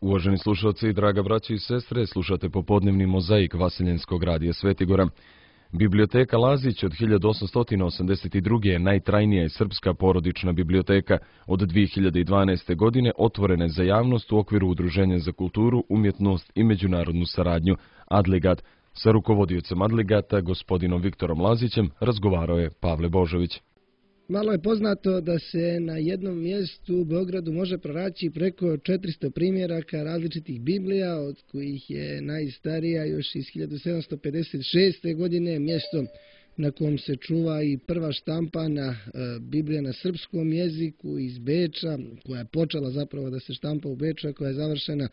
Uvaženi slušalci i draga braći i sestre, slušate popodnevni mozaik Vaseljenskog radija Svetigora. Biblioteka Lazić od 1882. je najtrajnija i srpska porodična biblioteka. Od 2012. godine otvorena je za javnost u okviru Udruženja za kulturu, umjetnost i međunarodnu saradnju Adligat. Sa rukovodiocem Adligata, gospodinom Viktorom Lazićem, razgovarao je Pavle Božović. Malo je poznato da se na jednom mjestu u Beogradu može pronaći preko 400 primjeraka različitih Biblija, od kojih je najstarija još iz 1756. godine, mjesto na kom se čuva i prva štampana Biblija na srpskom jeziku iz Beča, koja je počela zapravo da se štampa u Beču, koja je završena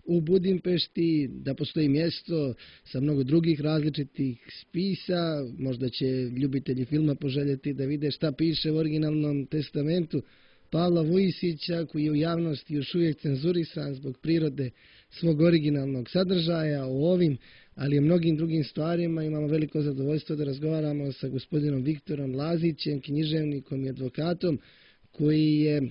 u Budimpešti, da postoji mjesto sa mnogo drugih različitih spisa. Možda će ljubitelji filma poželjeti da vide šta piše u originalnom testamentu Pavla Vujisića, koji je u javnosti još uvijek cenzurisan zbog prirode svog originalnog sadržaja. O ovim, ali i o mnogim drugim stvarima imamo veliko zadovoljstvo da razgovaramo sa gospodinom Viktorom Lazićem, književnikom i advokatom, koji je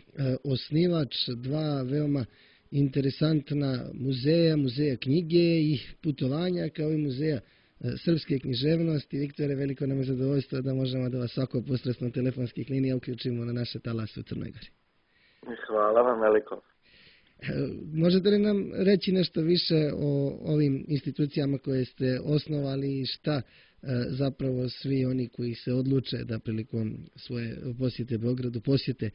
osnivač dva veoma interesantna muzeja knjige i putovanja, kao i muzeja srpske književnosti. Viktore, veliko nam je zadovoljstvo da možemo da vas svako posredstvom telefonskih linija uključimo na naše talase u Crnoj Gori. Hvala vam veliko. Možete li nam reći nešto više o ovim institucijama koje ste osnovali i šta zapravo svi oni koji se odluče da prilikom svoje posjete Beogradu posjete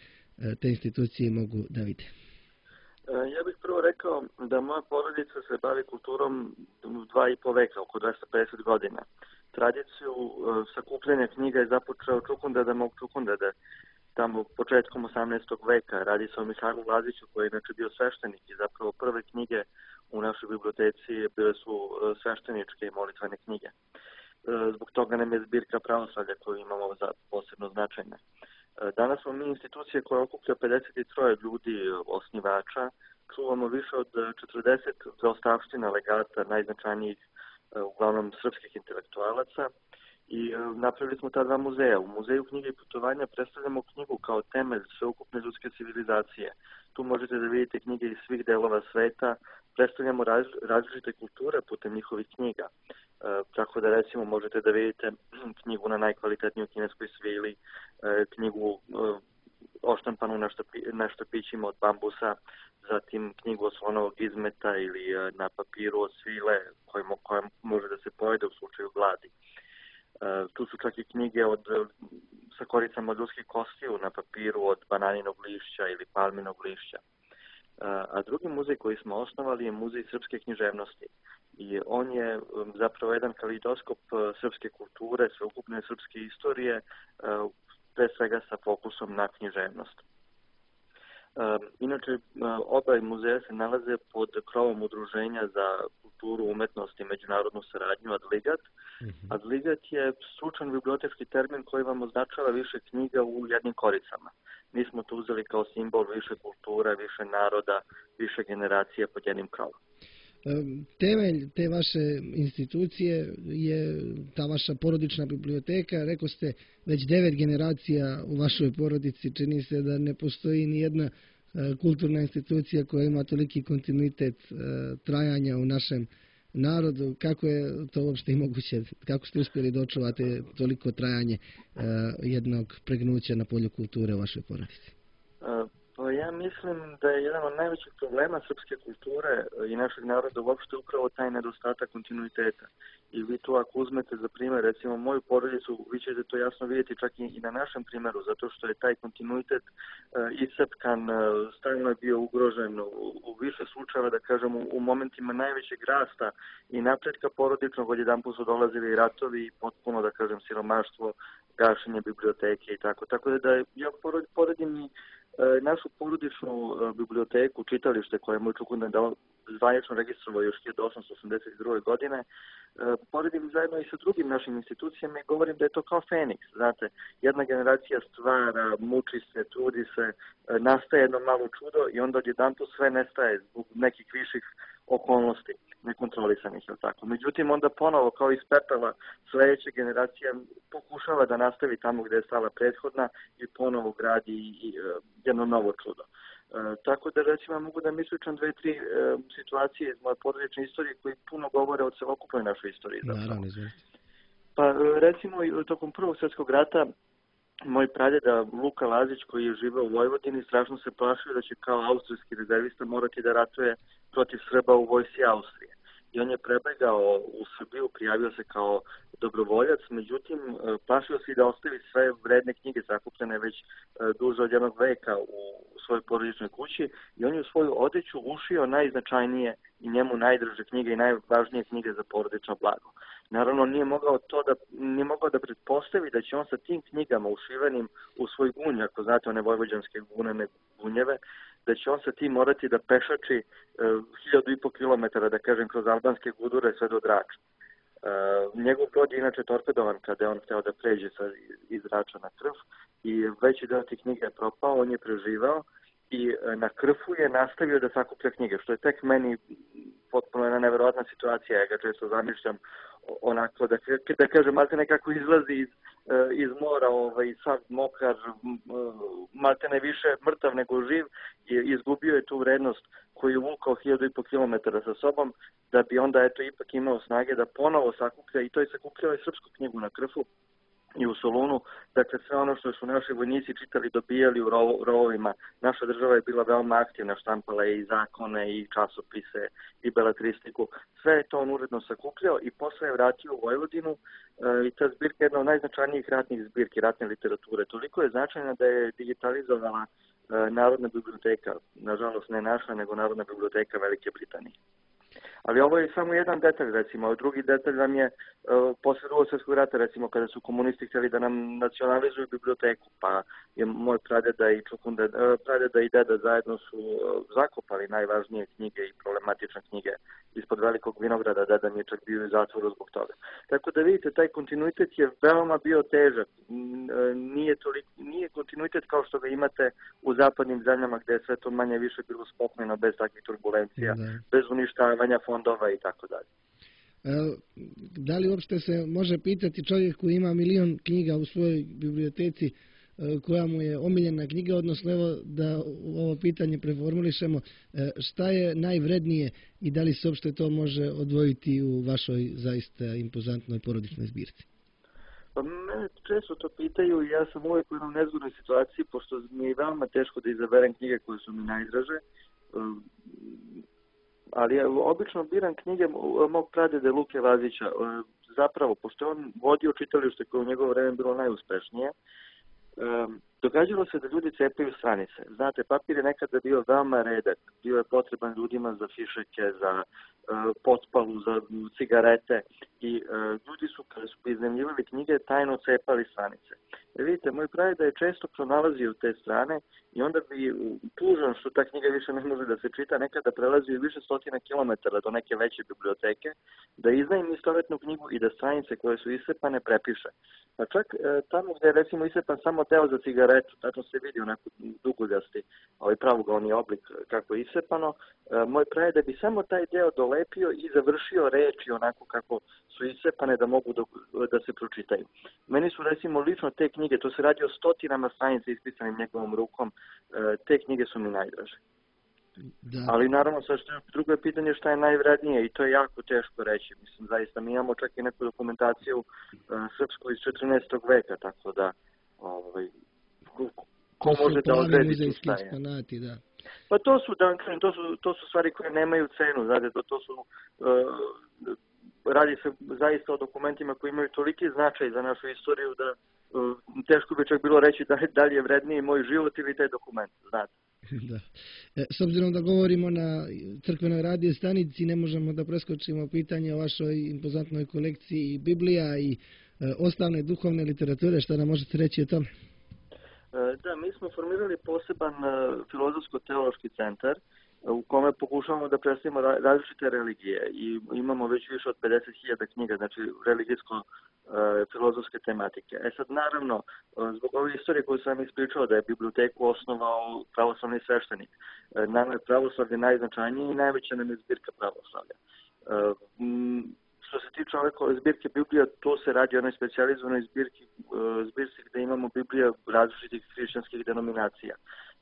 te institucije mogu da vide? Ja bih prvo rekao da moja porodica se bavi kulturom 2,5 veka, oko 250 godina. Tradiciju sakupljanja knjiga je započeo Čukundeda mog Čukundede, tamo početkom 18. veka. Radi se o Mihajlu Laziću, koji je inače bio sveštenik, i zapravo prve knjige u našoj biblioteci bile su svešteničke i molitvene knjige. Zbog toga nam je zbirka pravoslavlja koju imamo za posebno značajne. Danas smo mi institucija koja okuplja 53 ljudi osnivača, čuvamo više od 40 zaostavština legata najznačajnijih, uglavnom srpskih intelektualaca, i napravili smo ta dva muzeja. U Muzeju knjige i putovanja predstavljamo knjigu kao temelj sveukupne ljudske civilizacije. Tu možete da vidite knjige iz svih delova sveta, predstavljamo različite kulture putem njihovih knjiga. Tako da recimo možete da vidite knjigu na najkvalitetnijoj kineskoj svili, knjigu oštampanu na štapićima od bambusa, zatim knjigu od slonovog izmeta ili na papiru od svile koja može da se pojede u slučaju gladi. Tu su čak i knjige sa koricama od ljudskih kostiju na papiru od bananinog lišća ili palminog lišća. A drugi muzej koji smo osnovali je Muzej srpske književnosti. I on je zapravo jedan kaleidoskop srpske kulture, sveukupne srpske istorije, pre svega sa fokusom na književnost. Inače, oba muzeja se nalaze pod krovom Udruženja za kulturu, umetnost i međunarodnu saradnju Adligat. Adligat je stručan bibliotečki termin koji vam označava više knjiga u jednim koricama. Mi smo to uzeli kao simbol više kultura, više naroda, više generacija pod jednim krovom. Temelj te vaše institucije je ta vaša porodična biblioteka. Rekao ste već 9 generacija u vašoj porodici. Čini se da ne postoji ni jedna kulturna institucija koja ima toliki kontinuitet trajanja u našem narodu. Kako je to uopšte i moguće? Kako ste uspjeli da očuvate toliko trajanje jednog pregnuća na polju kulture u vašoj porodici? Pa ja mislim da je jedan od najvećih problema srpske kulture i našeg naroda uopšte upravo taj nedostatak kontinuiteta. I vi to ako uzmete za primjer, recimo moju porodicu, vi ćete to jasno vidjeti čak i na našem primjeru, zato što je taj kontinuitet iscepkan, stalno je bio ugrožen u više slučajeva, da kažem, u momentima najvećeg rasta i napretka porodičnog, odjedanput su dolazili ratovi i potpuno, da kažem, siromaštvo, gašenje biblioteke i tako. Tako da ja poredim našu porodičnu biblioteku, čitalište koje je moj Čukunded zvanično registrovao još 1882. godine, poredim zajedno i sa drugim našim institucijama i govorim da je to kao Feniks. Znate, jedna generacija stvara, muči se, trudi se, nastaje jedno malo čudo i onda odjedanput sve nestaje zbog nekih viših okolnosti nekontrolisanih, je tako. Međutim, onda ponovo, kao iz pepela, sljedeća generacija pokušava da nastavi tamo gdje je stala prethodna i ponovo gradi jedno novo čudo. Tako da recimo mogu da mi ispričam 2-3 situacije iz moje porodične istorije koji puno govore o celokupnoj našoj istoriji. Naravno, izvolite. Pa recimo tokom Prvog svjetskog rata moj pradeda Luka Lazić koji je živeo u Vojvodini strašno se plašio da će kao austrijski rezervista morati da ratuje protiv Srba u vojsci Austrije. I on je prebegao u Srbiju, prijavio se kao dobrovoljac, međutim plašio se i da ostavi sve vredne knjige sakupljene već duže od 1 veka u svojoj porodičnoj kući i on je u svoju odeću ušio najznačajnije i njemu najdraže knjige i najvažnije knjige za porodično blago. Naravno nije mogao da pretpostavi da će on sa tim knjigama ušivenim u svoj gunj, ako znate one vojvođanske gunene gunjeve, da će on sa tim morati da pešači 1500 kilometara, da kažem, kroz albanske gudure sve do Drača. Njegov brod je inače torpedovan kada je on hteo da pređe iz Drača na Krf i veći deo tih knjiga je propao, on je preživao i na Krfu je nastavio da sakuplja knjige, što je tek meni potpuno jedna neverovatna situacija, ja ga često zamišljam onako, da kažem, malte nekako izlazi iz mora, sav mokar, malte ne više mrtav nego živ i izgubio je tu vrednost koju je vukao 1500 kilometara sa sobom, da bi onda ipak imao snage da ponovo sakuplja i to je sakupljao i srpsku knjigu na Krfu i u Solunu, dakle sve ono što su naši vojnici čitali, dobijali u rovovima. Naša država je bila veoma aktivna, štampala je i zakone, i časopise, i beletristiku. Sve je to on uredno sakupljao i posle je vratio u Vojvodinu i ta zbirka je jedna od najznačajnijih ratnih zbirki, ratne literature. Toliko je značajna da je digitalizovala Narodna biblioteka, nažalost ne naša, nego Narodna biblioteka Velike Britanije. Ali ovo je samo jedan detalj, recimo. Drugi detalj nam je posle Drugog svjetskog rata, recimo, kada su komunisti htjeli da nam nacionalizuju biblioteku, pa je moj pradeda i deda zajedno su zakopali najvažnije knjige i problematične knjige ispod Velikog vinograda, deda mi je čak bio u zatvoru zbog toga. Tako da vidite, taj kontinuitet je veoma bio težak. Nije kontinuitet kao što ga imate u zapadnim zemljama gdje je sve to manje više bilo spokojno, bez takvih turbulencija, bez uništavanja fondova i tako dalje. Da li uopšte se može pitati čovjek koji ima 1.000.000 knjiga u svojoj biblioteci, koja mu je omiljena knjiga, odnosno evo da ovo pitanje preformulišemo, šta je najvrednije i da li se uopšte to može odvojiti u vašoj zaista impozantnoj porodičnoj zbirci? Pa mene često to pitaju i ja sam uvijek u jednom nezgodnoj situaciji, pošto mi je veoma teško da izaberem knjige koje su mi najdraže, ali ja obično biram knjige mog pradede Luke Lazića. Zapravo, pošto on vodio čitalište koje u njegovo vreme bilo najuspešnije, događalo se da ljudi cepaju stranice. Znate, papir je nekada bio veoma redak, bio je potreban ljudima za fišeke, za potpalu, za cigarete i ljudi su, kada su iznajmljivali knjige, tajno cepali stranice. Vidite, moj pradeda je često pronalazio te strane i onda bi tužan što ta knjiga više ne može da se čita, nekada prelazio više stotina kilometara do neke veće biblioteke, da iznajmi istovetnu knjigu i da stranice koje su isepane prepiše. Pa čak tamo gdje je recimo isepan samo deo za cigaretu, tačno se vidi onako dugoljasti, pravougalni oblik kako je isepano, moj pradeda bi samo taj deo dolepio i završio reči onako kako su isepane da mogu da se pročitaju. Meni su recimo lično te knjige, to se radi o stotinama stranica ispisanim njegovom rukom, te knjige su mi najdraže. Da. Ali naravno, drugo je pitanje šta je najvrednije i to je jako teško reći. Mislim, zaista mi imamo čak i neku dokumentaciju srpsku iz 14. veka, tako da ko može da odredi tu šta je. Da. Pa to su stvari koje nemaju cenu, znate, to su radi se zaista o dokumentima koji imaju toliki značaj za našu istoriju da teško bi čak bilo reći da li je vredniji moj život ili taj dokument, znate. Da. S obzirom da govorimo na crkvenoj radio stanici, ne možemo da preskočimo pitanje o vašoj impozantnoj kolekciji Biblija i ostale duhovne literature. Šta nam možete reći o tome? Da, mi smo formirali poseban filozofsko-teološki centar u kome pokušavamo da predstavimo različite religije i imamo već više od 50.000 knjiga, znači religijsko-filozofske tematike. Sad naravno, zbog ove istorije koju sam ispričao da je biblioteku osnovao pravoslavni sveštenik, nama je pravoslavlje najznačajnije i najveća nam je zbirka pravoslavlja. Što se tiče ove zbirke Biblija, to se radi o onoj specijalizovanoj zbirci gdje imamo Biblija različitih hrišćanskih denominacija.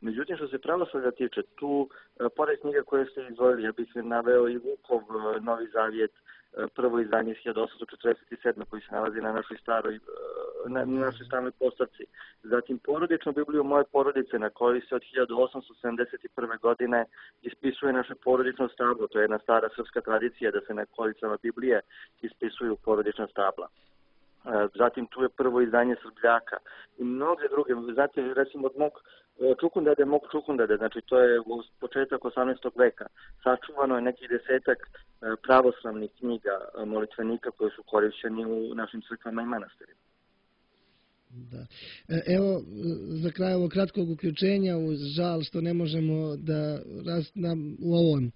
Međutim, što se pravoslavlja tiče, tu, pored knjiga koje ste izdvojili, ja bih naveo i Vukov Novi Zavjet, prvo izdanje iz 1847. koji se nalazi na našoj staroj postavci. Zatim porodičnu Bibliju moje porodice na kojoj se od 1871. godine ispisuje naše porodično stablo. To je jedna stara srpska tradicija da se na kolicama Biblije ispisuju porodična stabla. Zatim tu je prvo izdanje Srbljaka i mnoge druge. Znate, recimo od mog Čukundede, znači to je u početak 18. veka. Sačuvano je neki 10-ak pravoslavnih knjiga molitvenika koje su korišćeni u našim crkvama i manastirima. Da. Evo, za kraj ovog kratkog uključenja, uz žal što ne možemo da u ovom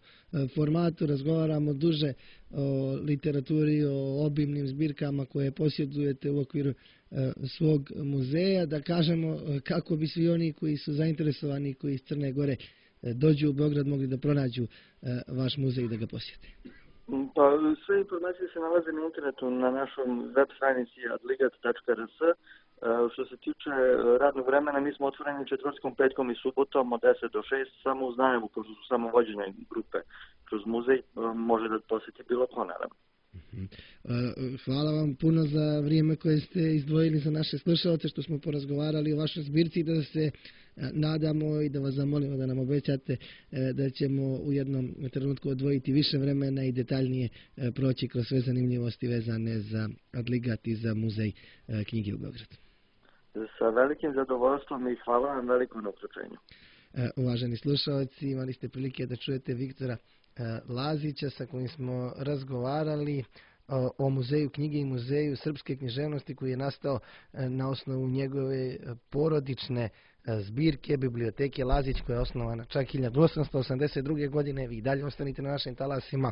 formatu razgovaramo duže o literaturi, o obimnim zbirkama koje posjedujete u okviru svog muzeja, da kažemo kako bi svi oni koji su zainteresovani, koji iz Crne Gore dođu u Beograd, mogli da pronađu vaš muzej i da ga posjete. Pa, sve informacije se nalaze na internetu na našom web stranici adligat.rs. Što se tiče radnog vremena, mi smo otvoreni četvrtkom, petkom i subotom od 10 do 6, samo uz najavu, pošto su samo vođene grupe kroz muzej, može da posjeti bilo ko, naravno. Hvala vam puno za vrijeme koje ste izdvojili za naše slušalce, što smo porazgovarali o vašoj zbirci, da se nadamo i da vas zamolimo da nam obećate da ćemo u jednom trenutku odvojiti više vremena i detaljnije proći kroz sve zanimljivosti vezane za Adligat i za muzej knjige u Beogradu. Sa velikim zadovoljstvom i hvala vam veliko na uključenju. Uvaženi slušalci, imali ste prilike da čujete Viktora Lazića sa kojim smo razgovarali o muzeju knjige i muzeju srpske književnosti koji je nastao na osnovu njegove porodične zbirke biblioteke Lazić koja je osnovana čak 1882. godine. Vi dalje ostanite na našim talasima.